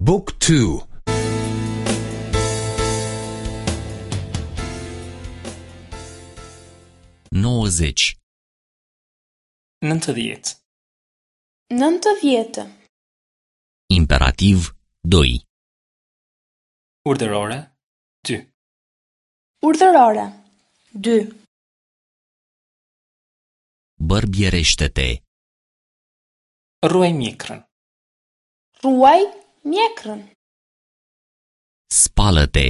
บุ๊กทู 90. 90. 90. Imperativ 2. Urdhërore 2. Urdhërore 2. Bărbierește-te. Rruaj mjekrën. Rruaj mjekrën. Spală-te.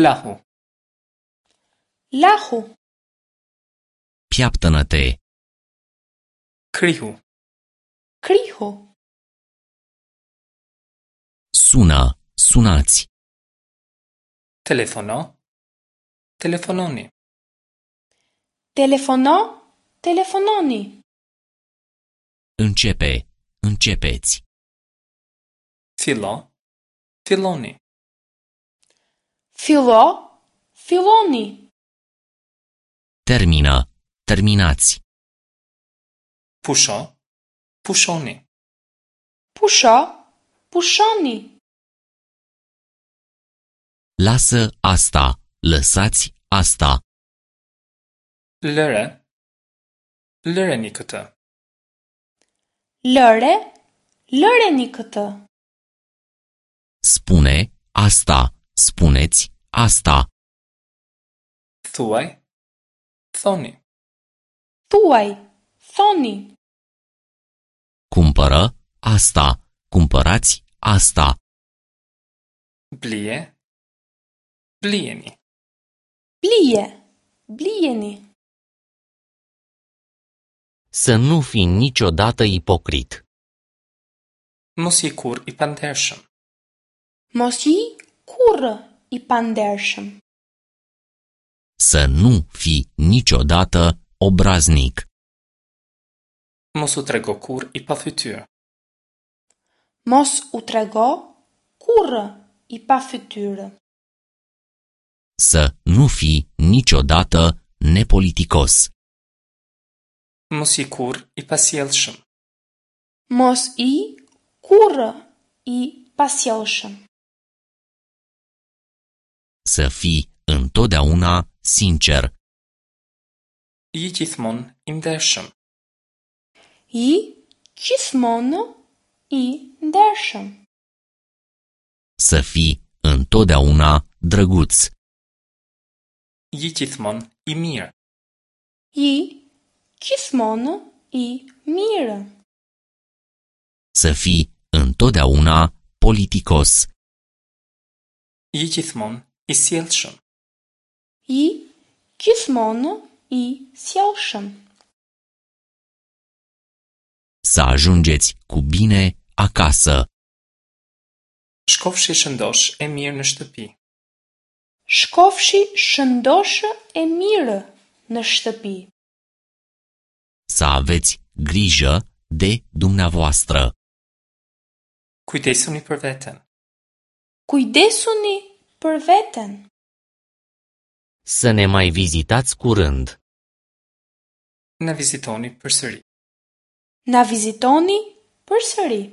Lahu. Lahu. Piaptănă-te. Krihu. Krihu. Sună, sunați. Telefono. Telefononi. Telefono, telefononi. Începe, începeți. Fillo. Filloni. Fillo, filloni. Termină, terminați. Pusho. Pushoni. Pusho, pushoni. Lasă asta, lăsați asta. Lëre. Lëreni këtë. Lëre, lëreni këtë. Spune asta, spuneți asta. Thuaj. Thoni. Thuaj, thoni. Cumpără asta, cumpărați asta. Blije. Blijeni. Blije, blijeni. Să nu fii niciodată ipocrit. Mos ji kurrë i pandershëm. Mos ji kurrë i pandershëm. Să nu fii niciodată obraznic. Mos u trego kurrë i pafytyrë. Mos u trego kurrë i pafytyrë. Să nu fii niciodată nepoliticos. Mos ji kurrë i pasjellshëm. Mos ji kurrë i pasjellshëm. Să fii întotdeauna sincer. Ji gjithmonë i ndershëm. Ji gjithmonë i ndershëm. Să fii întotdeauna drăguț. Ji gjithmonë i mirë. Ji gjithmonë i mirë. Să fii întotdeauna politicos. Ji gjithmonë i sjellshëm. Ji gjithmonë i sjellshëm. Să ajungeți cu bine acasă. Shkofshi shëndosh e mirë në shtëpi. Shkofshi shëndoshë e mirë në shtëpi. Să aveți grijă de dumneavoastră. Kujdesuni për veten. Kujdesuni për veten. Să ne mai vizitați curând. Na vizitoni përsëri. Na vizitoni përsëri.